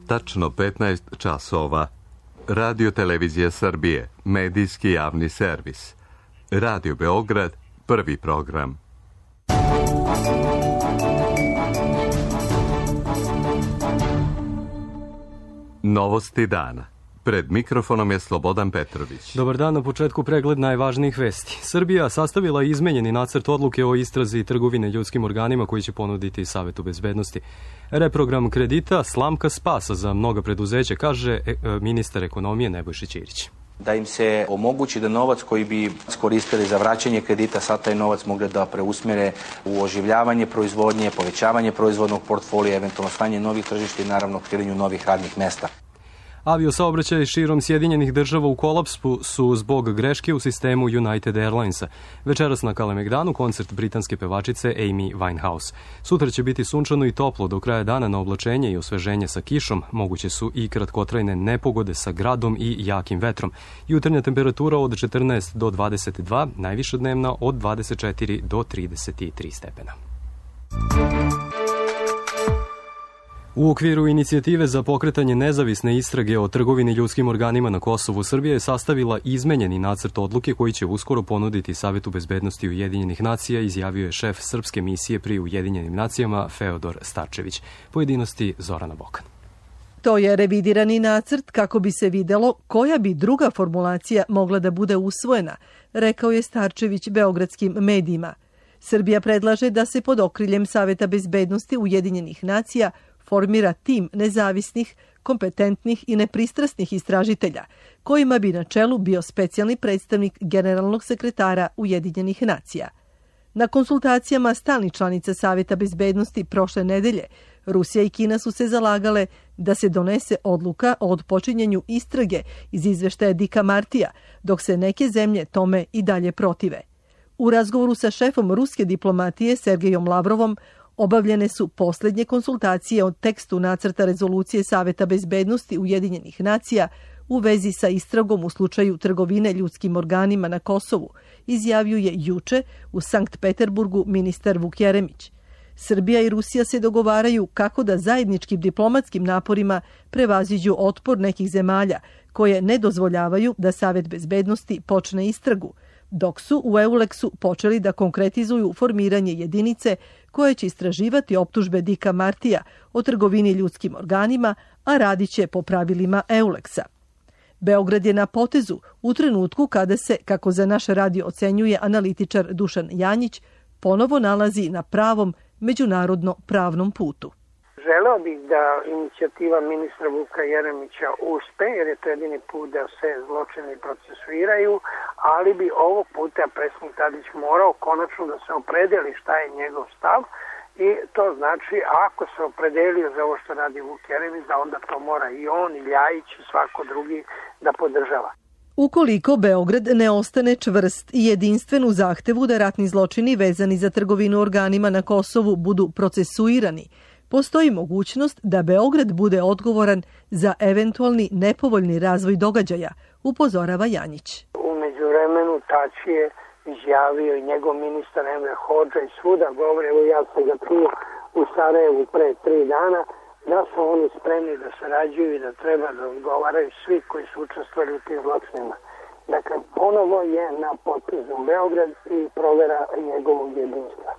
Tačno 15 časova. Radio Televizija Srbije, medijski javni servis. Radio Beograd, prvi program. Novosti dana. Pred mikrofonom je Slobodan Petrović. Dobar dan, na početku pregled najvažnijih vesti. Srbija sastavila izmenjeni nacrt odluke o istrazi trgovine ljudskim organima koji će ponuditi Savetu bezbednosti. Reprogram kredita slamka spasa za mnoga preduzeća, kaže ministar ekonomije Nebojša Ćirić. Da im se omogući da novac koji bi iskoristili za vraćanje kredita, sad taj novac mogli da preusmjere u oživljavanje proizvodnje, povećavanje proizvodnog portfolija, eventualno stanje novih tržišta i naravno otkrivanju novih radnih mesta. Aviosaobraćaj širom Sjedinjenih država u kolapsu su zbog greške u sistemu United Airlinesa. Večeras na Kalemegdanu koncert britanske pevačice Amy Winehouse. Sutra će biti sunčano i toplo, do kraja dana na oblačenje i osveženje sa kišom. Moguće su i kratkotrajne nepogode sa gradom i jakim vetrom. Jutarnja temperatura od 14 do 22, najviša dnevna od 24 do 33 stepena. U okviru inicijative za pokretanje nezavisne istrage o trgovini ljudskim organima na Kosovu, Srbija je sastavila izmenjeni nacrt odluke koji će uskoro ponuditi Savetu bezbednosti Ujedinjenih nacija, izjavio je šef srpske misije pri Ujedinjenim nacijama Feodor Starčević. Pojedinosti Zorana Bokan. To je revidirani nacrt kako bi se videlo koja bi druga formulacija mogla da bude usvojena, rekao je Starčević beogradskim medijima. Srbija predlaže da se pod okriljem Saveta bezbednosti Ujedinjenih nacija formira tim nezavisnih, kompetentnih i nepristrasnih istražitelja, kojima bi na čelu bio specijalni predstavnik generalnog sekretara Ujedinjenih nacija. Na konsultacijama stalnih članica Saveta bezbednosti prošle nedelje, Rusija i Kina su se zalagale da se donese odluka o odpočinjanju istrage iz izveštaja Dicka Martija, dok se neke zemlje tome i dalje protive. U razgovoru sa šefom ruske diplomatije Sergejom Lavrovom obavljene su posljednje konsultacije o tekstu nacrta rezolucije Saveta bezbednosti Ujedinjenih nacija u vezi sa istragom u slučaju trgovine ljudskim organima na Kosovu, izjavio je juče u Sankt Peterburgu ministar Vuk Jeremić. Srbija i Rusija se dogovaraju kako da zajedničkim diplomatskim naporima prevaziđu otpor nekih zemalja koje ne dozvoljavaju da Savet bezbednosti počne istragu, dok su u EULEX-u počeli da konkretizuju formiranje jedinice koje će istraživati optužbe Dicka Martija o trgovini ljudskim organima, a radit će po pravilima EULEX-a. Beograd je na potezu u trenutku kada se, kako za naš radio ocenjuje analitičar Dušan Janjić, ponovo nalazi na pravom međunarodno pravnom putu. Želeo bih da inicijativa ministra Vuka Jeremića uspe, jer je to jedini put da se zločini procesuiraju, ali bi ovog puta predsjednik Tadić morao konačno da se opredeli šta je njegov stav, i to znači ako se opredelio za ovo što radi Vuk Jeremić, da onda to mora i on, i Ljajić, i svako drugi da podržava. Ukoliko Beograd ne ostane čvrst i jedinstven u zahtevu da ratni zločini vezani za trgovinu organima na Kosovu budu procesuirani, postoji mogućnost da Beograd bude odgovoran za eventualni nepovoljni razvoj događaja, upozorava Janjić. U međuvremenu Tači je izjavio i njegov ministar Emre Hodža i svuda govore, evo ja sam ga čuo u Sarajevu pre 3 dana, da su oni spremni da sarađuju i da treba da odgovaraju svi koji su učestvovali u tim zločinima. Dakle, ponovo je na potezu Beograd i provera njegovog jedinstva.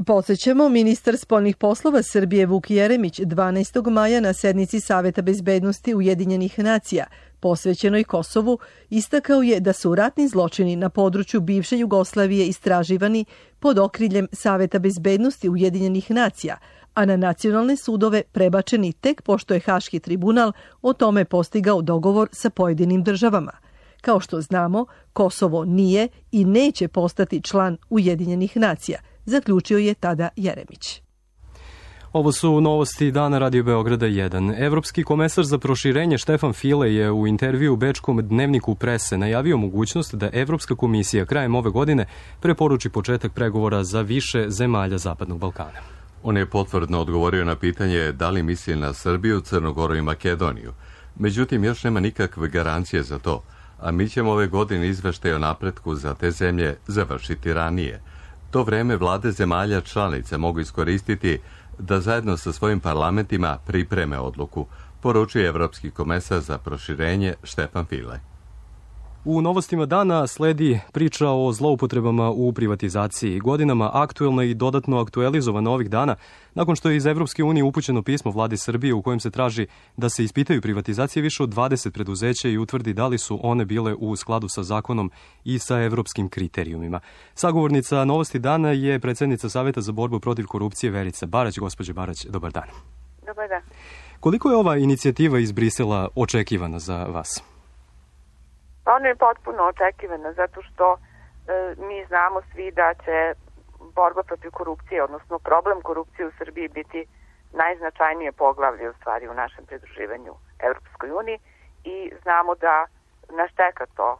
Podsjećamo, ministar spoljnih poslova Srbije Vuk Jeremić 12. maja na sednici Saveta bezbednosti Ujedinjenih nacija posvećenoj Kosovu istakao je da su ratni zločini na području bivše Jugoslavije istraživani pod okriljem Saveta bezbednosti Ujedinjenih nacija, a na nacionalne sudove prebačeni tek pošto je Haški tribunal o tome postigao dogovor sa pojedinim državama. Kao što znamo, Kosovo nije i neće postati član Ujedinjenih nacija, zaključio je tada Jeremić. Ovo su novosti dana Radio Beograda 1. Evropski komesar za proširenje Štefan File je u intervju u bečkom dnevniku Prese najavio mogućnost da Evropska komisija krajem ove godine preporuči početak pregovora za više zemalja Zapadnog Balkana. On je potvrdno odgovorio na pitanje da li misli na Srbiju, Crnogoru i Makedoniju. Međutim, još nema nikakve garancije za to, a mi ćemo ove godine izveštaj o napretku za te zemlje završiti ranije. To vreme vlade zemalja članice mogu iskoristiti da zajedno sa svojim parlamentima pripreme odluku. poručuje evropski komesar za proširenje Štefan File. U novostima dana sledi priča o zloupotrebama u privatizaciji. Godinama aktuelna i dodatno aktualizovana ovih dana, nakon što je iz Evropske unije upućeno pismo vladi Srbije u kojem se traži da se ispitaju privatizacije više od 20 preduzeća i utvrdi da li su one bile u skladu sa zakonom i sa evropskim kriterijumima. Sagovornica Novosti dana je predsjednica Saveta za borbu protiv korupcije Verica Barać. Gospođo Barać, dobar dan. Dobar dan. Koliko je ova inicijativa iz Brisela očekivana za vas? Ona je potpuno očekivana zato što mi znamo svi da će borba protiv korupcije, odnosno problem korupcije u Srbiji biti najznačajnije poglavlje u stvari u našem pridruživanju Evropskoj uniji i znamo da nas čeka to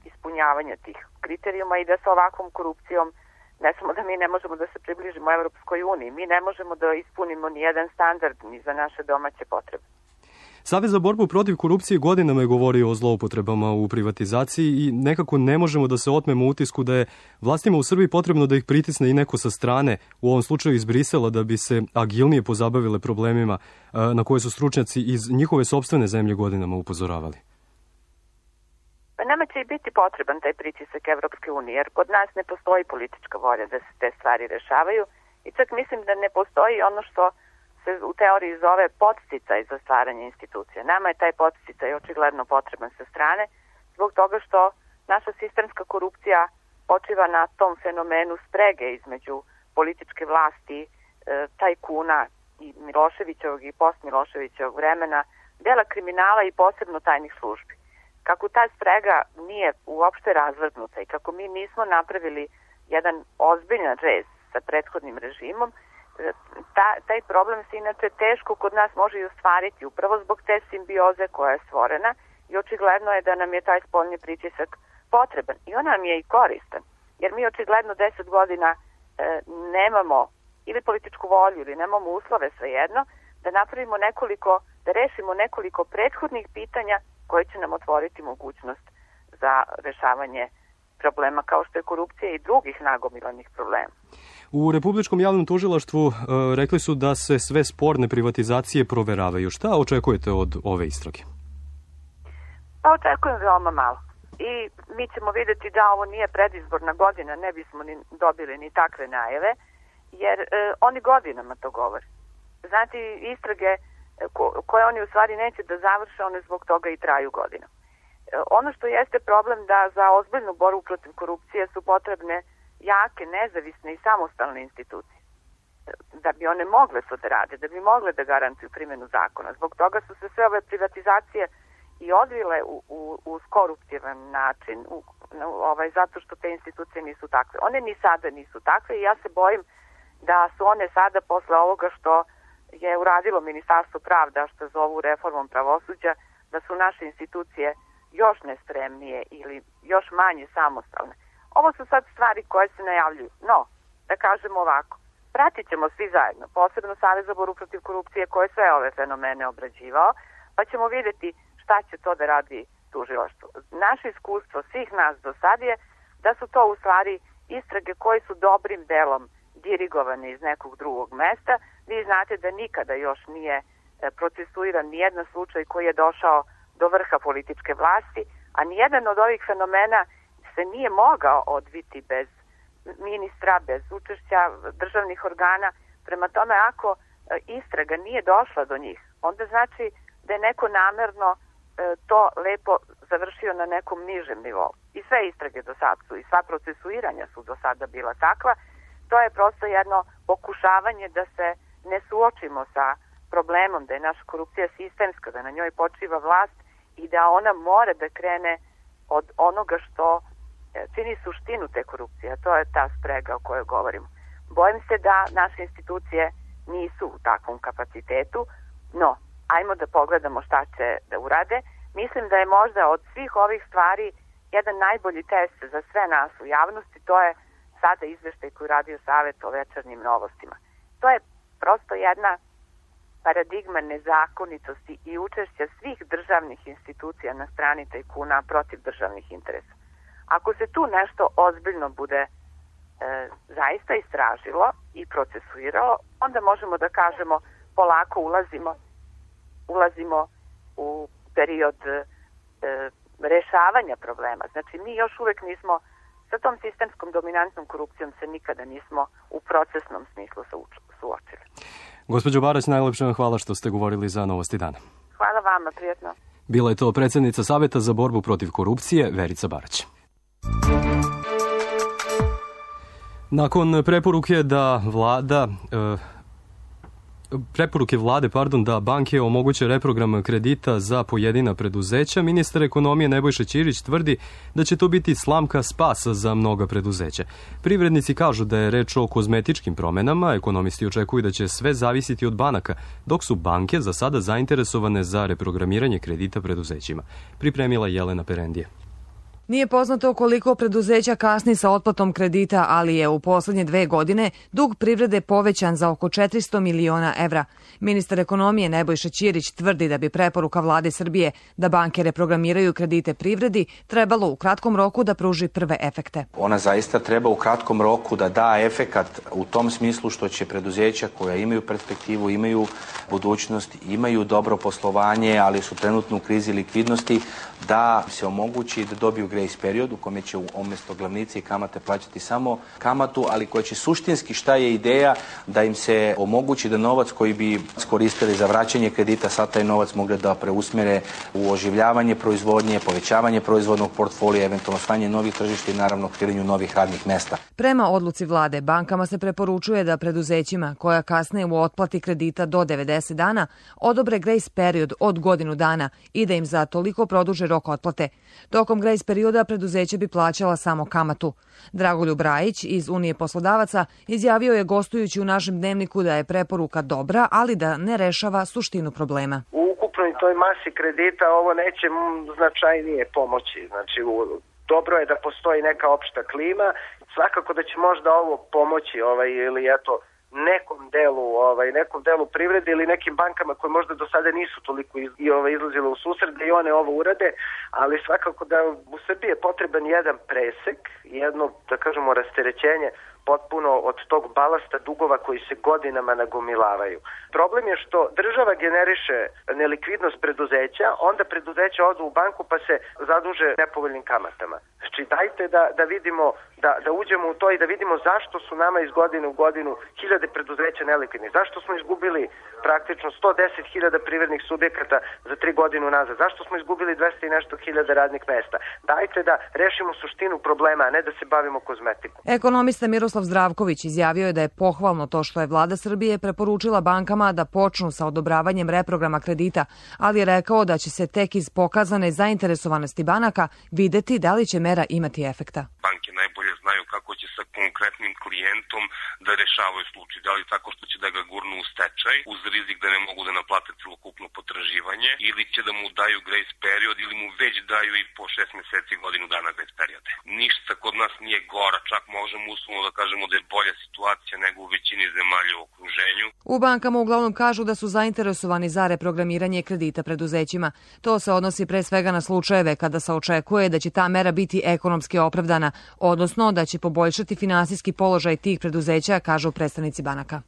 ispunjavanje tih kriterijuma i da sa ovakvom korupcijom ne samo da mi ne možemo da se približimo Evropskoj uniji, mi ne možemo da ispunimo ni jedan standard ni za naše domaće potrebe. Savez za borbu protiv korupcije godinama je govorio o zloupotrebama u privatizaciji i nekako ne možemo da se otmemo utisku da je vlastima u Srbiji potrebno da ih pritisne i neko sa strane, u ovom slučaju iz Brisela, da bi se agilnije pozabavile problemima na koje su stručnjaci iz njihove sopstvene zemlje godinama upozoravali. Pa nama će i biti potreban taj pritisak Evropske unije, jer kod nas ne postoji politička volja da se te stvari rešavaju i čak mislim da ne postoji ono što se u teoriji zove podsticaj za stvaranje institucija. Nama je taj podsticaj očigledno potreban sa strane, zbog toga što naša sistemska korupcija počiva na tom fenomenu sprege između političke vlasti, tajkuna i Miloševićevog i post-Miloševićevog vremena, dela kriminala i posebno tajnih službi. Kako ta sprega nije uopšte razvrgnuta i kako mi nismo napravili jedan ozbiljan rez sa prethodnim režimom, taj problem se inače teško kod nas može i ostvariti upravo zbog te simbioze koja je stvorena i očigledno je da nam je taj spoljni pritisak potreban i on nam je i koristan, jer mi očigledno 10 godina nemamo ili političku volju ili nemamo uslove svejedno da napravimo da rešimo nekoliko prethodnih pitanja koje će nam otvoriti mogućnost za rešavanje problema kao što je korupcija i drugih nagomilanih problema. U Republičkom javnom tužilaštvu rekli su da se sve sporne privatizacije proveravaju. Šta očekujete od ove istrage? Pa očekujem veoma malo. I mi ćemo vidjeti da ovo nije predizborna godina, ne bismo ni dobili ni takve najave, jer oni godinama to govore. Znate, istrage koje oni u stvari neće da završe, one zbog toga i traju godina. Ono što jeste problem da za ozbiljnu borbu protiv korupcije su potrebne jake, nezavisne i samostalne institucije. Da bi one mogle to da rade, da bi mogle da garantuju primjenu zakona. Zbog toga su se sve ove privatizacije i odvile uz koruptivan način, zato što te institucije nisu takve. One ni sada nisu takve i ja se bojim da su one sada posle ovoga što je uradilo Ministarstvo pravda, što zovu reformom pravosuđa, da su naše institucije još nespremnije ili još manje samostalne. Ovo su sad stvari koje se najavljuju. No, da kažemo ovako, pratit ćemo svi zajedno, posebno Savez za borbu protiv korupcije koji je sve ove fenomene obrađivao, pa ćemo vidjeti šta će to da radi tužilaštvo. Naše iskustvo svih nas do sad je da su to u stvari istrage koje su dobrim delom dirigovane iz nekog drugog mesta. Vi znate da nikada još nije procesuiran nijedan slučaj koji je došao do vrha političke vlasti, a nijedan od ovih fenomena se nije mogao odviti bez ministra, bez učešća državnih organa. Prema tome, ako istraga nije došla do njih, onda znači da je neko namerno to lepo završio na nekom nižem nivou. I sve istrage do sad su i sva procesuiranja su do sada bila takva. To je prosto jedno pokušavanje da se ne suočimo sa problemom da je naša korupcija sistemska, da na njoj počiva vlast i da ona mora da krene od onoga što čini suštinu te korupcije, a to je ta sprega o kojoj govorimo. Bojim se da naše institucije nisu u takvom kapacitetu, no, ajmo da pogledamo šta će da urade. Mislim da je možda od svih ovih stvari jedan najbolji test za sve nas u javnosti, to je sada izveštaj koji radio Savet o večernjim novostima. To je prosto jedna paradigma nezakonitosti i učešća svih državnih institucija na strani tajkuna protiv državnih interesa. Ako se tu nešto ozbiljno bude zaista istražilo i procesuiralo, onda možemo da kažemo polako ulazimo ulazimo u period rešavanja problema. Znači, mi još uvek nismo, sa tom sistemskom dominantnom korupcijom se nikada nismo u procesnom smislu suočili. Gospođo Barać, najlepše vam hvala što ste govorili za Novosti dana. Hvala vama, prijetno. Bila je to predsjednica Saveta za borbu protiv korupcije, Verica Barać. Nakon preporuke vlade da banke omoguće reprogram kredita za pojedina preduzeća, ministar ekonomije Nebojša Ćirić tvrdi da će to biti slamka spasa za mnoga preduzeća. Privrednici kažu da je reč o kozmetičkim promenama, ekonomisti očekuju da će sve zavisiti od banaka, dok su banke za sada zainteresovane za reprogramiranje kredita preduzećima. Pripremila Jelena Perendije. Nije poznato koliko preduzeća kasni sa otplatom kredita, ali je u poslednje 2 godine dug privrede povećan za oko 400 miliona evra. Ministar ekonomije Nebojša Ćirić tvrdi da bi preporuka vlade Srbije da banke reprogramiraju kredite privredi trebalo u kratkom roku da pruži prve efekte. Ona zaista treba u kratkom roku da da efekat u tom smislu što će preduzeća koja imaju perspektivu, imaju budućnost, imaju dobro poslovanje, ali su trenutno u krizi likvidnosti, da se omogući da dobiju grace period u kome će umjesto glavnice i kamate plaćati samo kamatu, ali koja će suštinski, šta je ideja, da im se omogući da novac koji bi iskoristili za vraćanje kredita, sad taj novac mogli da preusmjere u oživljavanje proizvodnje, povećavanje proizvodnog portfolija, eventualno stvaranje novih tržišta i naravno kreiranje novih radnih mesta. Prema odluci vlade, bankama se preporučuje da preduzećima koja kasne u otplati kredita do 90 dana odobre grace period od godinu dana i da im za toliko produže rok otplate. Tokom grace perioda preduzeće bi plaćala samo kamatu. Dragoljub Rajić iz Unije poslodavaca izjavio je gostujući u našem dnevniku da je preporuka dobra, ali da ne rešava suštinu problema. U ukupnoj toj masi kredita ovo neće značajnije pomoći. Znači, dobro je da postoji neka opšta klima. Svakako da će možda ovo pomoći ili eto nekom delu privrede ili nekim bankama koje možda do sada nisu toliko izlazile u susret da i one ovo urade, ali svakako da u Srbiji je potreban jedan presek, jedno, da kažemo, rasterećenje potpuno od tog balasta dugova koji se godinama nagomilavaju. Problem je što država generiše nelikvidnost preduzeća, onda preduzeća odu u banku pa se zaduže nepovoljnim kamatama. Znači dajte da vidimo, da uđemo u to i da vidimo zašto su nama iz godine u godinu hiljade preduzeća nelikvidni. Zašto smo izgubili praktično 110.000 privrednih subjekata za 3 godine nazad? Zašto smo izgubili 200 i nešto hiljada radnih mesta? Dajte da rešimo suštinu problema, a ne da se bavimo kozmetikom. Ekonomista Miroslav Zdravković izjavio je da je pohvalno to što je vlada Srbije preporučila bankama da počnu sa odobravanjem reprograma kredita, ali je rekao da će se tek iz pokazane zainteresovanosti banaka videti da li će mera imati efekta. Banke najbolje znaju kako će sa konkretnim klijentom da rešavaju slučaj, da li tako što će da ga gurnu u stečaj uz rizik da ne mogu da naplate celokupno potraživanje ili će da mu daju grace period ili mu već daju i po 6 meseci godinu dana grace periode. Ništa kod nas nije gora, čak možemo uslovno da kažemo da je bolja situacija nego u većini zemalja u okruženju. U bankama uglavnom kažu da su zainteresovani za reprogramiranje kredita preduzećima. To se odnosi pre svega na slučajeve kada se očekuje da će ta mera biti ekonomski opravdana, odnosno da će poboljšati finansijski položaj tih preduzeća, kažu predstavnici banaka.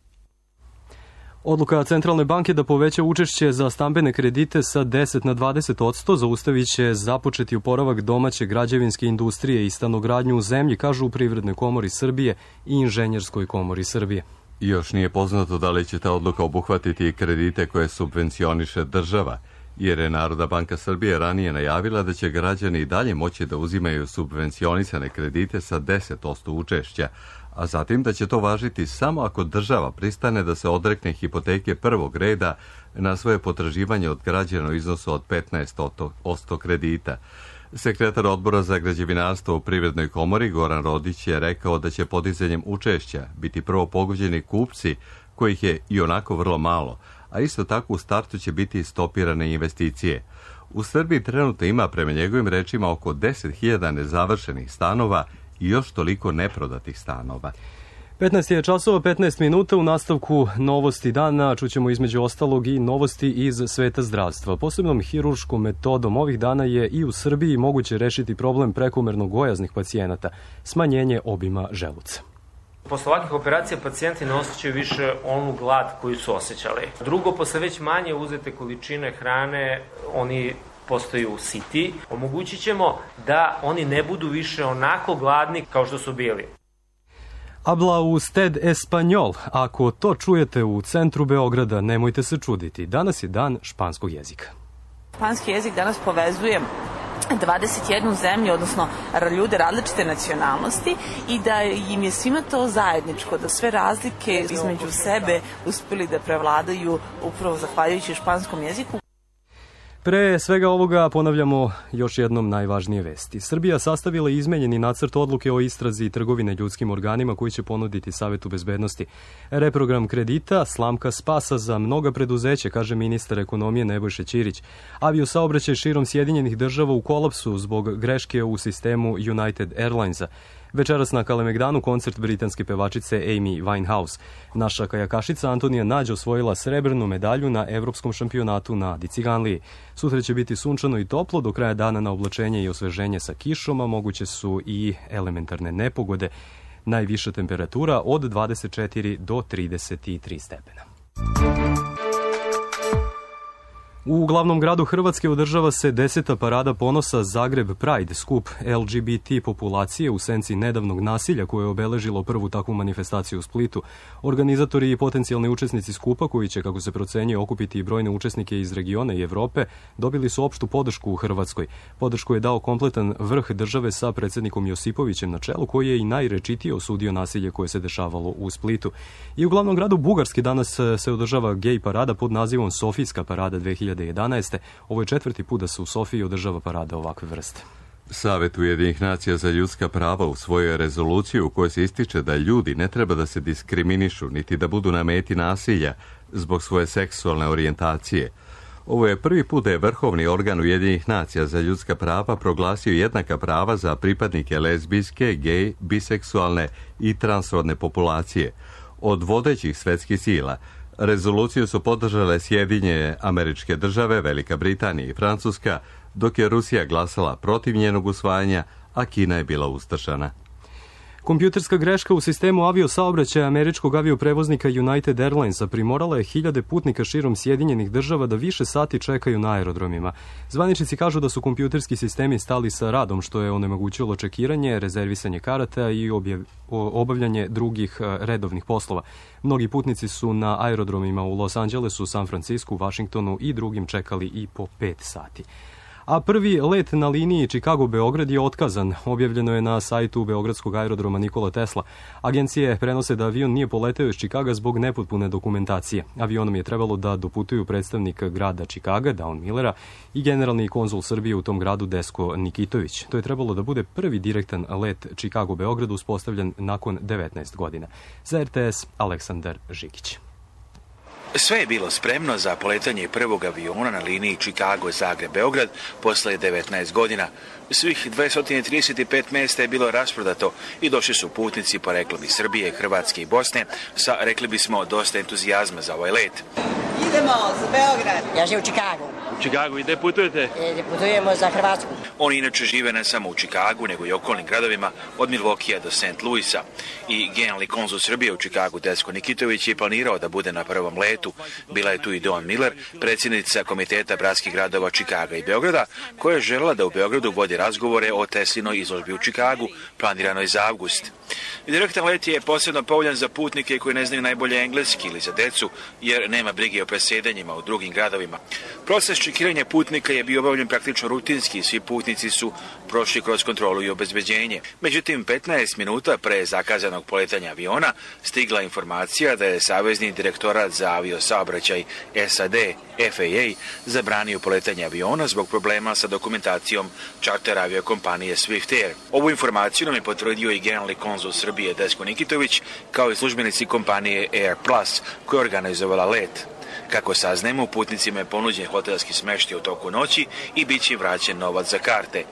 Odluka Centralne banke da poveća učešće za stambene kredite sa 10 na 20% zaustavit će započeti oporavak domaće građevinske industrije i stanogradnju u zemlji, kažu u Privrednoj komori Srbije i Inženjerskoj komori Srbije. Još nije poznato da li će ta odluka obuhvatiti kredite koje subvencioniše država, jer je Narodna banka Srbije ranije najavila da će građani i dalje moći da uzimaju subvencionisane kredite sa 10% učešća, a zatim da će to važiti samo ako država pristane da se odrekne hipoteke prvog reda na svoje potraživanje od građana u iznosu od 15% kredita. Sekretar odbora za građevinarstvo u Privrednoj komori Goran Rodić je rekao da će podizanjem učešća biti prvo pogođeni kupci, kojih je i onako vrlo malo, a isto tako u startu će biti stopirane investicije. U Srbiji trenutno ima, prema njegovim rečima, oko 10.000 nezavršenih stanova i još toliko neprodatih stanova. 15 je časova, 15 minuta. U nastavku Novosti dana čućemo između ostalog i novosti iz sveta zdravstva. Posebnom hirurškom metodom ovih dana je i u Srbiji moguće rešiti problem prekomerno gojaznih pacijenata, smanjenje obima želuca. Posle ovakvih operacija pacijenti ne osjećaju više onu glad koju su osjećali. Drugo, posle već manje uzete količine hrane, oni postaju siti. Omogućit ćemo da oni ne budu više onako gladni kao što su bili. Habla usted español. Ako to čujete u centru Beograda, nemojte se čuditi. Danas je dan španskog jezika. Španski jezik danas povezuje 21 zemlju, odnosno ljude različite nacionalnosti i da im je svima to zajedničko, da sve razlike između sebe uspeli da prevladaju upravo zahvaljujući španskom jeziku. Pre svega ovoga ponavljamo još jednom najvažnije vesti. Srbija sastavila izmenjeni nacrt odluke o istrazi trgovine ljudskim organima koji će ponuditi Savetu bezbednosti. Reprogram kredita, slamka spasa za mnoga preduzeća, kaže ministar ekonomije Nebojša Ćirić. Aviosaobraćaj širom Sjedinjenih država u kolapsu zbog greške u sistemu United Airlinesa. Večeras na Kalemegdanu koncert britanske pevačice Amy Winehouse. Naša kajakašica Antonija Nađ osvojila srebrnu medalju na evropskom šampionatu na Diciganliji. Sutra će biti sunčano i toplo, do kraja dana na oblačenje i osveženje sa kišom, a moguće su i elementarne nepogode. Najviša temperatura od 24 do 33 stepena. U glavnom gradu Hrvatske održava se 10. parada ponosa Zagreb Pride, skup LGBT populacije u senci nedavnog nasilja koje je obeležilo prvu takvu manifestaciju u Splitu. Organizatori i potencijalni učesnici skupa, koji će, kako se procenjuje, okupiti i brojne učesnike iz regiona i Evrope, dobili su opštu podršku u Hrvatskoj. Podršku je dao kompletan vrh države sa predsjednikom Josipovićem na čelu, koji je i najrečitije osudio nasilje koje se dešavalo u Splitu. I u glavnom gradu Bugarske danas se održava gej parada pod nazivom Sofijska parada 2011. Ovo je 4. put da se u Sofiji održava parada ovakve vrste. Savet Ujedinjenih nacija za ljudska prava usvojio je rezoluciju u kojoj se ističe da ljudi ne treba da se diskriminišu niti da budu na meti nasilja zbog svoje seksualne orijentacije. Ovo je prvi put da je Vrhovni organ Ujedinjenih nacija za ljudska prava proglasio jednaka prava za pripadnike lezbijske, gej, biseksualne i transrodne populacije. Od vodećih svetskih sila rezoluciju su podržale Sjedinjene Američke Države, Velika Britanija i Francuska, dok je Rusija glasala protiv njenog usvajanja, a Kina je bila ustršana. Kompjuterska greška u sistemu aviosaobraćaja američkog avioprevoznika United Airlinesa primorala je hiljade putnika širom Sjedinjenih država da više sati čekaju na aerodromima. Zvaničnici kažu da su kompjuterski sistemi stali sa radom, što je onemogućilo čekiranje, rezervisanje karata i obavljanje drugih redovnih poslova. Mnogi putnici su na aerodromima u Los Angelesu, San Francisku, Vašingtonu i drugim čekali i po 5 sati. A prvi let na liniji Chicago-Beograd je otkazan. Objavljeno je na sajtu Beogradskog aerodroma Nikola Tesla. Agencije prenose da avion nije poleteo iz Chicaga zbog nepotpune dokumentacije. Avionom je trebalo da doputuju predstavnik grada Chicaga, Dawn Millera, i generalni konzul Srbije u tom gradu Desko Nikitović. To je trebalo da bude prvi direktan let Chicago-Beograd uspostavljen nakon 19 godina. Za RTS, Aleksandar Žigić. Sve je bilo spremno za poletanje prvog aviona na liniji Chicago-Zagreb-Beograd posle 19 godina. Svih 235 mjesta je bilo rasprodato i došli su putnici poreklom iz Srbije, Hrvatske i Bosne sa, rekli bismo, dosta entuzijazma za ovaj let. Idemo za Beograd. Ja živim u Chicagu. U Chicagu i gde putujete? Putujemo za Hrvatsku. Oni inače žive ne samo u Chicagu, nego i okolnim gradovima od Milwaukeea do St. Louisa. I generalni konzul Srbije u Chicagu, Desko Nikitović, je planirao da bude na prvom letu. Bila je tu i Dawn Miller, predsjednica Komiteta bratskih gradova Chicaga i Beograda, koja je željela da u Beogradu vodi razgovore o Teslinoj izložbi u Chicagu, planiranoj za avgust. Direktan let je posebno povoljan za putnike koji ne znaju najbolje engleski ili za decu, jer nema brige o presedanjima u drugim gradovima. Proces čekiranja putnika je bio obavljen praktično rutinski i svi putnici su prošli kroz kontrolu i obezbeđenje. Međutim, 15 minuta pre zakazanog poletanja aviona stigla informacija da je Savezni direktorat za aviosaobraćaj SAD, FAA, zabranio poletanje aviona zbog problema sa dokumentacijom čarter aviokompanije Swift Air. Ovu informaciju nam je potvrdio i generalni konzul Srbije Desko Nikitović, kao i službenici kompanije Air Plus, koja je organizovala let. Kako saznajemo, putnicima je ponuđen hotelski smeštaj u toku noći i bit će vraćen novac za karte.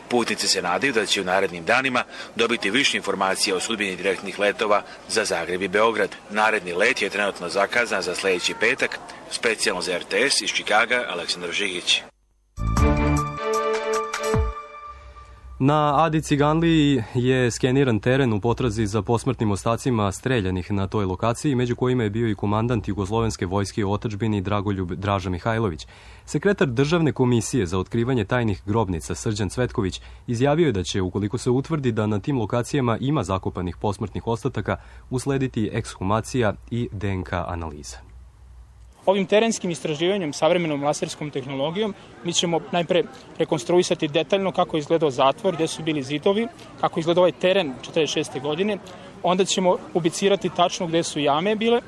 Putnici se nadaju da će u narednim danima dobiti više informacija o sudbini direktnih letova za Zagreb i Beograd. Naredni let je trenutno zakazan za sljedeći petak, specijalno za RTS iz Chicaga, Aleksandar Žigić. Na Adi Ciganliji je skeniran teren u potrazi za posmrtnim ostacima streljanih na toj lokaciji, među kojima je bio i komandant Jugoslovenske vojske u otadžbini Dragoljub Draža Mihajlović. Sekretar Državne komisije za otkrivanje tajnih grobnica Srđan Cvetković izjavio je da će, ukoliko se utvrdi da na tim lokacijama ima zakopanih posmrtnih ostataka, uslediti ekshumacija i DNK analiza. Ovim terenskim istraživanjem, savremenom laserskom tehnologijom, mi ćemo najpre rekonstruisati detaljno kako je izgledao zatvor, gde su bili zidovi, kako je izgledao ovaj teren 46. godine. Onda ćemo ubicirati tačno gde su jame bile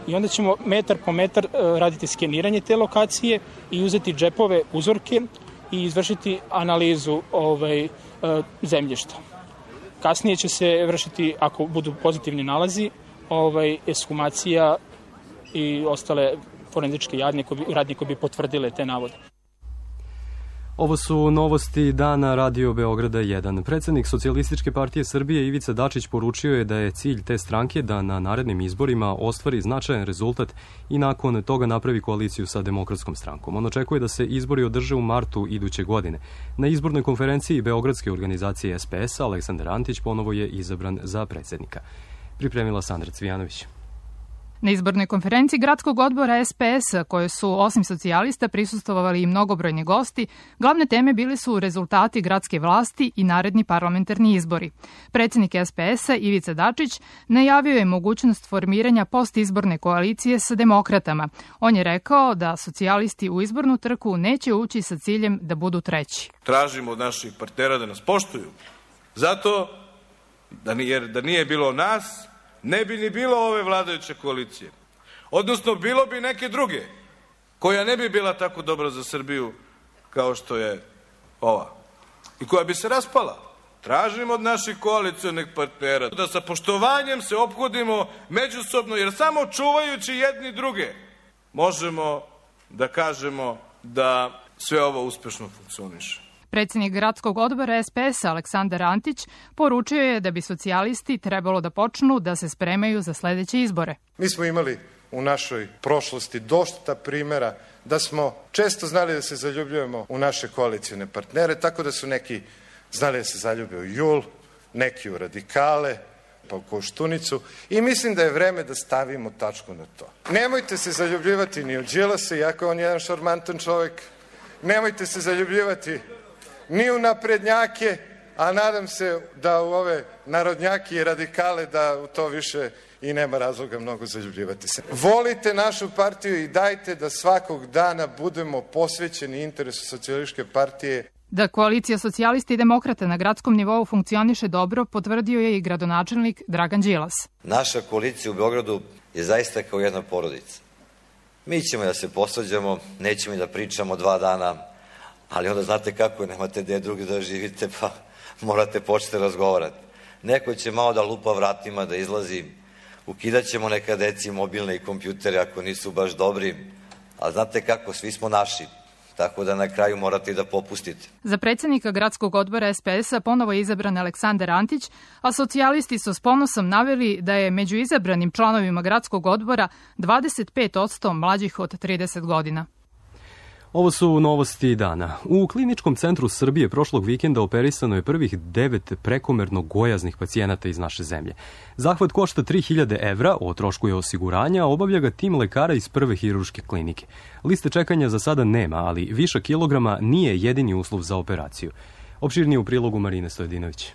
i onda ćemo metar po metar raditi skeniranje te lokacije i uzeti džepove, uzorke i izvršiti analizu zemljišta. Kasnije će se vršiti, ako budu pozitivni nalazi, ekshumacija i ostale forenzičke radnje koje bi potvrdile te navode. Ovo su novosti dana Radio Beograda 1. Predsednik Socijalističke partije Srbije Ivica Dačić poručio je da je cilj te stranke da na narednim izborima ostvari značajan rezultat i nakon toga napravi koaliciju sa Demokratskom strankom. On očekuje da se izbori održe u martu iduće godine. Na izbornoj konferenciji Beogradske organizacije SPS Aleksandar Antić ponovo je izabran za predsednika. Pripremila Sandra Cvijanović. Na izbornoj konferenciji Gradskog odbora SPS, koje su osim socijalista prisustvovali i mnogobrojni gosti, glavne teme bili su rezultati gradske vlasti i naredni parlamentarni izbori. Predsednik SPS-a Ivica Dačić najavio je mogućnost formiranja postizborne koalicije sa demokratama. On je rekao da socijalisti u izbornu trku neće ući sa ciljem da budu treći. Tražimo od naših partnera da nas poštuju. Zato, jer da nije bilo nas, ne bi ni bilo ove vladajuće koalicije. Odnosno, bilo bi neke druge, koja ne bi bila tako dobra za Srbiju kao što je ova. I koja bi se raspala. Tražimo od naših koalicionih partnera da sa poštovanjem se ophodimo međusobno, jer samo čuvajući jedni druge možemo da kažemo da sve ovo uspešno funkcioniše. Predsednik Gradskog odbora SPS Aleksandar Antić poručio je da bi socijalisti trebalo da počnu da se spremaju za sledeće izbore. Mi smo imali u našoj prošlosti dosta primera da smo često znali da se zaljubljujemo u naše koalicijne partnere, tako da su neki znali da se zaljube u JUL, neki u radikale, pa u Koštunicu, i mislim da je vreme da stavimo tačku na to. Nemojte se zaljubljivati ni u Đilasa, iako je on jedan šarmantan čovek, nemojte se zaljubljivati ni u naprednjake, a nadam se da u ove narodnjake i radikale da u to više i nema razloga mnogo zaljubljivati se. Volite našu partiju i dajte da svakog dana budemo posvećeni interesu Socijalističke partije. Da koalicija socijalisti i demokrata na gradskom nivou funkcioniše dobro, potvrdio je i gradonačelnik Dragan Đilas. Naša koalicija u Beogradu je zaista kao jedna porodica. Mi ćemo da se posvađamo, nećemo da pričamo 2 dana, ali onda znate kako je, nemate gde drugi da živite, pa morate početi razgovarati. Neko će malo da lupa vratima, da izlazi, ukidat ćemo neka deci mobilne i kompjutere ako nisu baš dobri, ali znate kako, svi smo naši, tako da na kraju morate i da popustite. Za predsednika Gradskog odbora SPS-a ponovo je izabran Aleksandar Antić, a socijalisti su s ponosom naveli da je među izabranim članovima Gradskog odbora 25% mlađih od 30 godina. Ovo su novosti dana. U Kliničkom centru Srbije prošlog vikenda operisano je prvih 9 prekomerno gojaznih pacijenata iz naše zemlje. Zahvat košta 3000 evra, o trošku je osiguranja, a obavlja ga tim lekara iz prve hirurške klinike. Liste čekanja za sada nema, ali višak kilograma nije jedini uslov za operaciju. Opširnije u prilogu Marine Stojedinović.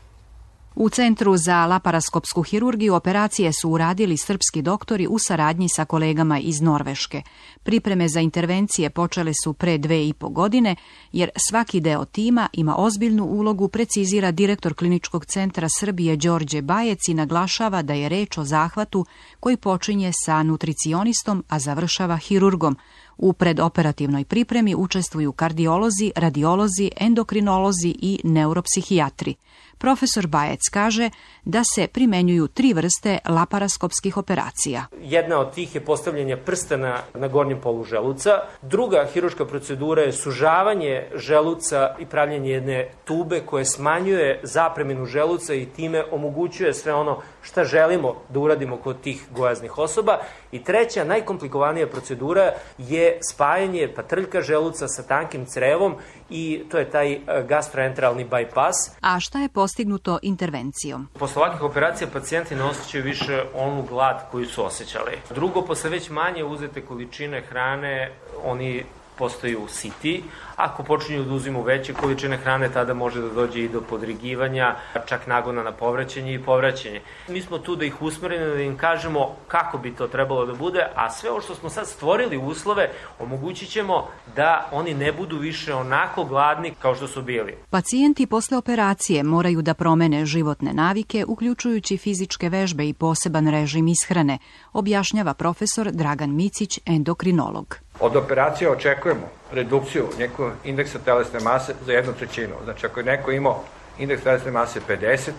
U Centru za laparaskopsku hirurgiju operacije su uradili srpski doktori u saradnji sa kolegama iz Norveške. Pripreme za intervencije počele su pre 2,5 godine, jer svaki deo tima ima ozbiljnu ulogu, precizira direktor Kliničkog centra Srbije Đorđe Bajec i naglašava da je reč o zahvatu koji počinje sa nutricionistom, a završava hirurgom. U predoperativnoj pripremi učestvuju kardiolozi, radiolozi, endokrinolozi i neuropsihijatri. Profesor Bajec kaže da se primenjuju 3 vrste laparaskopskih operacija. Jedna od tih je postavljanje prstana na gornjem polu želuca. Druga hirurška procedura je sužavanje želuca i pravljanje jedne tube koje smanjuje zapreminu želuca i time omogućuje sve ono šta želimo da uradimo kod tih gojaznih osoba. I treća, najkomplikovanija procedura je je spajanje patrljka želuca sa tankim crevom i to je taj gastroenteralni bypass. A šta je postignuto intervencijom? Posle ovakvih operacija pacijenti ne osjećaju više onu glad koju su osjećali. Drugo, posle već manje uzete količine hrane, oni postaju siti. Ako počinju da uzimaju veće količine hrane, tada može da dođe i do podrigivanja, čak nagona na povraćanje i povraćanje. Mi smo tu da ih usmerimo, da im kažemo kako bi to trebalo da bude, a sve ovo što smo sad stvorili uslove, omogućit ćemo da oni ne budu više onako gladni kao što su bili. Pacijenti posle operacije moraju da promene životne navike, uključujući fizičke vežbe i poseban režim ishrane, objašnjava profesor Dragan Micić, endokrinolog. Od operacije očekujemo redukciju nekog indeksa telesne mase za 1/3. Znači, ako je neko imao indeks telesne mase 50,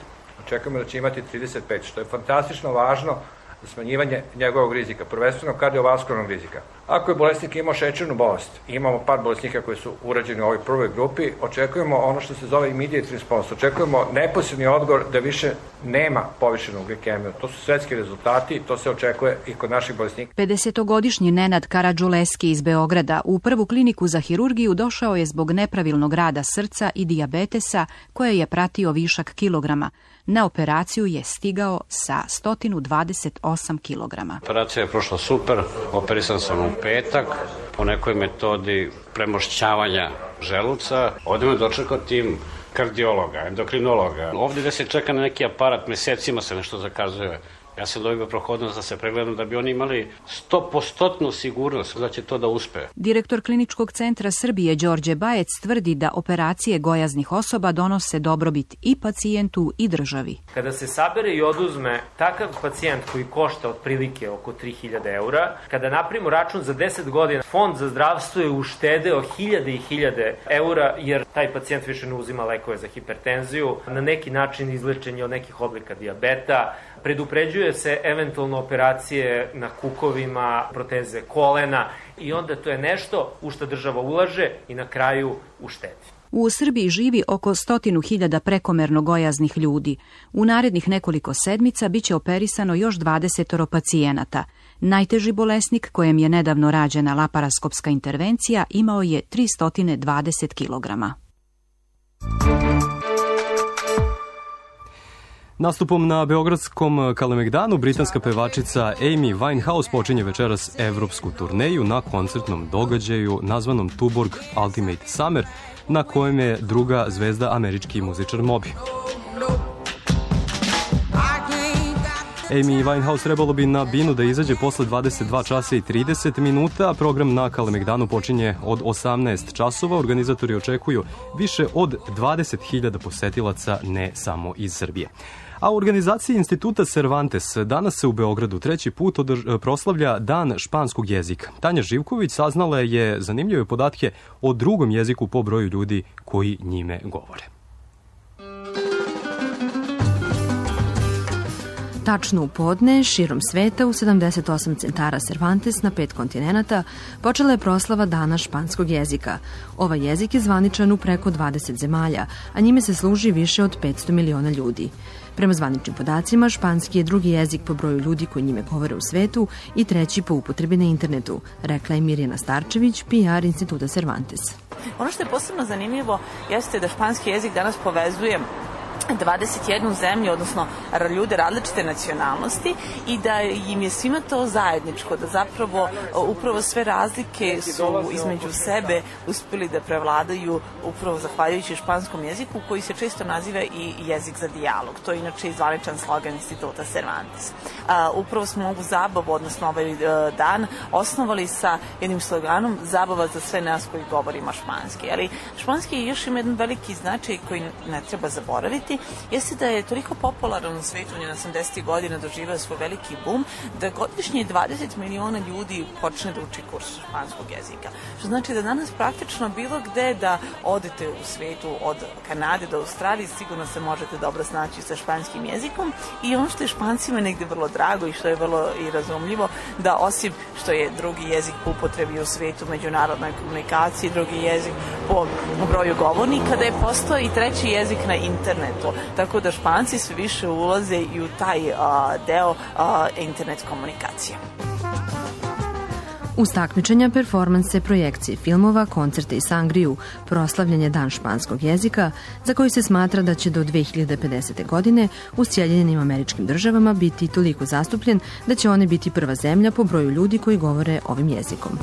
očekujemo da će imati 35, što je fantastično važno za smanjivanje njegovog rizika, prvenstveno kardiovaskularnog rizika. Ako je bolesnik imao šećernu bolest, imamo par bolesnika koji su urađeni u ovoj prvoj grupi, očekujemo ono što se zove immediate response, očekujemo neposredni odgovor da više nema povišenu glikemiju. To su svetski rezultati, to se očekuje i kod naših bolesnika. 50-godišnji Nenad Karadžuleski iz Beograda u prvu kliniku za hirurgiju došao je zbog nepravilnog rada srca i dijabetesa koje je pratio višak kilograma. Na operaciju je stigao sa 128 kilograma. Operacija je prošla super, operisan sam u petak po nekoj metodi premošćavanja želuca. Ovdje me dočekao tim kardiologa, endokrinologa. Ovdje gde se čeka na neki aparat, mesecima se nešto zakazuje. Ja sam dobio prohodnost da se pregledam da bi oni imali 100% sigurnost da će to da uspe. Direktor Kliničkog centra Srbije Đorđe Bajec tvrdi da operacije gojaznih osoba donose dobrobit i pacijentu i državi. Kada se sabere i oduzme takav pacijent koji košta otprilike oko 3000 eura, kada napravimo račun za 10 godina, Fond za zdravstvo je uštedeo 1000 i 1000 eura jer taj pacijent više ne uzima lekove za hipertenziju, na neki način izlečenje od nekih oblika dijabeta, predupređuje se eventualno operacije na kukovima, proteze kolena i onda to je nešto u što država ulaže i na kraju uštedi. U Srbiji živi oko 100.000 prekomerno gojaznih ljudi. U narednih nekoliko sedmica biće operisano još 20 pacijenata. Najteži bolesnik kojem je nedavno rađena laparaskopska intervencija imao je 320 kilograma. Nastupom na beogradskom Kalemegdanu britanska pevačica Amy Winehouse počinje večeras evropsku turneju na koncertnom događaju nazvanom Tuborg Ultimate Summer, na kojem je druga zvezda američki muzičar Moby. Amy Winehouse trebalo bi na binu da izađe posle 22 časa i 30 minuta, a program na Kalemegdanu počinje od 18 časova. Organizatori očekuju više od 20.000 posetilaca, ne samo iz Srbije. A u organizaciji Instituta Cervantes danas se u Beogradu treći put proslavlja Dan španskog jezika. Tanja Živković saznala je zanimljive podatke o drugom jeziku po broju ljudi koji njime govore. Tačno u podne, širom sveta, u 78 centara Cervantes na 5 kontinenata, počela je proslava Dana španskog jezika. Ovaj jezik je zvaničan u preko 20 zemalja, a njime se služi više od 500 miliona ljudi. Prema zvaničnim podacima, španski je drugi jezik po broju ljudi koji njime govore u svetu i treći po upotrebi na internetu, rekla je Mirjana Starčević, PR Instituta Cervantes. Ono što je posebno zanimljivo jeste da španski jezik danas povezuje 21 zemlju, odnosno ljude različite nacionalnosti i da im je svima to zajedničko, da zapravo upravo sve razlike su između sebe uspjeli da prevladaju upravo zahvaljujući španskom jeziku koji se često naziva i jezik za dijalog. To je inače zvaničan slogan Instituta Cervantes. Upravo smo ovu zabavu, odnosno ovaj dan, osnovali sa jednim sloganom zabava za sve nas koji govorimo španski. Ali španski još ima jedan veliki značaj koji ne treba zaboraviti, jeste da je toliko popularan u svetu, on je na 80. godina doživao svoj veliki boom, da godišnje 20 miliona ljudi počne da uči kurs španskog jezika. Što znači da danas praktično bilo gde da odete u svetu, od Kanade do Australije, sigurno se možete dobro snaći sa španskim jezikom i ono što je Špancima negde vrlo drago i što je vrlo i razumljivo, da osim što je drugi jezik po upotrebi u svetu, međunarodnoj komunikaciji, drugi jezik po broju govornika, da je postao i treći jezik na internetu. Tako da Španci sve više ulaze i u taj deo internet komunikacije. Uz takmičenja, performanse, projekcije filmova, koncerte i sangriju, proslavljanje Dan španskog jezika, za koji se smatra da će do 2050. godine u Sjedinjenim Američkim Državama biti toliko zastupljen da će one biti prva zemlja po broju ljudi koji govore ovim jezikom.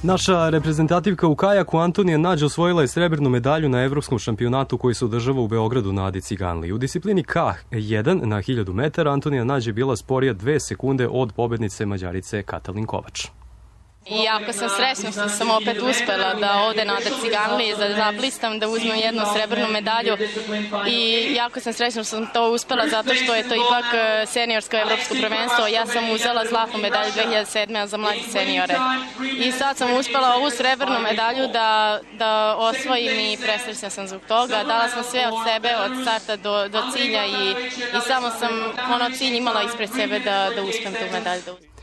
Naša reprezentativka u kajaku Antonija Nađ osvojila je srebrnu medalju na evropskom šampionatu koji se održava u Beogradu na Adi Ciganliji. U disciplini K1 na 1000 metara Antonija Nađ je bila sporija 2 sekunde od pobednice Mađarice Katalin Kovač. I jako sam srećna što sam opet uspela da ovde na Adi Ciganliji zablistam, da uzmem jednu srebrnu medalju i jako sam srećna što sam to uspela zato što je to ipak seniorsko evropsko prvenstvo. Ja sam uzela zlatnu medalju 2007. za mlađe seniore i sad sam uspela ovu srebrnu medalju da osvojim i presrećna sam zbog toga. Dala sam sve od sebe, od starta do cilja i samo sam cilj imala ispred sebe da uspem tu medalju da uzmem.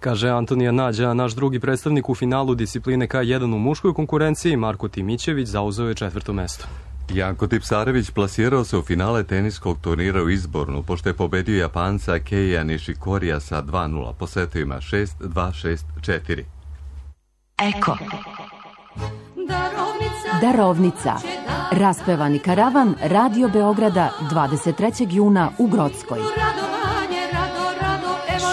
Kaže Antonija Nađa, naš drugi predstavnik u finalu discipline K1 u muškoj konkurenciji, Marko Timićević, zauzeo je 4. mesto. Janko Tipsarević plasirao se u finale teniskog turnira u Izbornu, pošto je pobedio Japanca Keija Nishikorija sa 2-0 po setovima 6-2, 6-4. Eko. Darovnica. Raspevani karavan Radio Beograda 23. juna u Grockoj.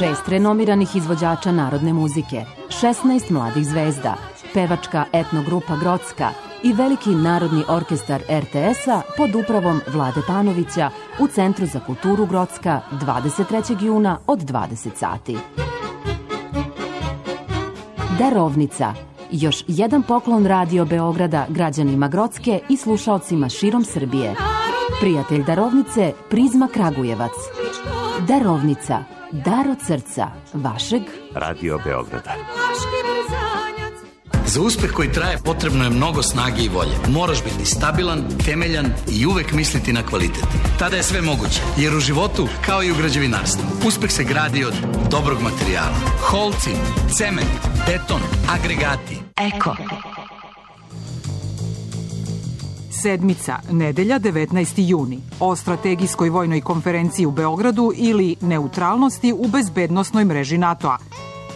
6 renomiranih izvođača narodne muzike, 16 mladih zvezda, pevačka etnogrupa Grocka i veliki narodni orkestar RTS-a pod upravom Vlade Panovića u Centru za kulturu Grocka 23. juna od 20 sati. Darovnica. Još jedan poklon Radio Beograda građanima Grocke i slušaocima širom Srbije. Prijatelj Darovnice, Prizma Kragujevac. Darovnica. Dar od srca vašeg Radio Beograda. Za uspeh koji traje potrebno je mnogo snage i volje. Moraš biti stabilan, temeljan i uvek misliti na kvalitet. Tada je sve moguće, jer u životu, kao i u građevinarstvu, uspeh se gradi od dobrog materijala. Holcim, cement, beton, agregati. Eko. Sedmica, nedelja 19. juni, o strategijskoj vojnoj konferenciji u Beogradu ili neutralnosti u bezbednosnoj mreži NATO-a.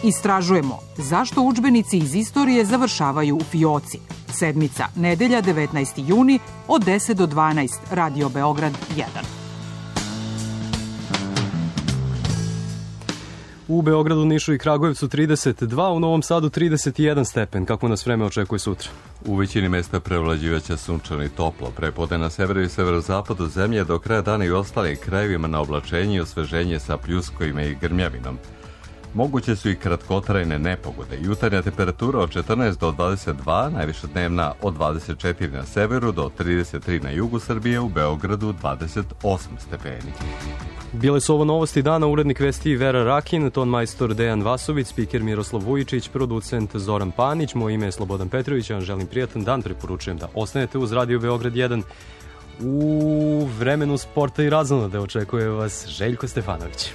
Istražujemo zašto udžbenici iz istorije završavaju u fioci. Sedmica, nedelja 19. juni od 10 do 12, Radio Beograd 1. U Beogradu, Nišu i Kragujevcu 32, u Novom Sadu 31 stepen. Kako nas vreme očekuje sutra? U većini mesta prevlađivaće sunčano i toplo. Prepodne na severu i severozapadu zemlje, do kraja dana i ostalim krajevima na oblačenje i osveženje sa pljuskovima i grmljavinom. Moguće su i kratkotrajne nepogode. Jutarnja temperatura od 14 do 22, najviša dnevna od 24 na severu do 33 na jugu Srbije, u Beogradu 28 stepeni. Bile su ovo novosti dana, urednik vesti Vera Rakin, ton majstor Dejan Vasović, spiker Miroslav Vujičić, producent Zoran Panić, moje ime je Slobodan Petrović, ja vam želim prijatan dan, preporučujem da ostanete uz Radio Beograd 1. U vremenu sporta i razonode očekuje vas Željko Stefanović.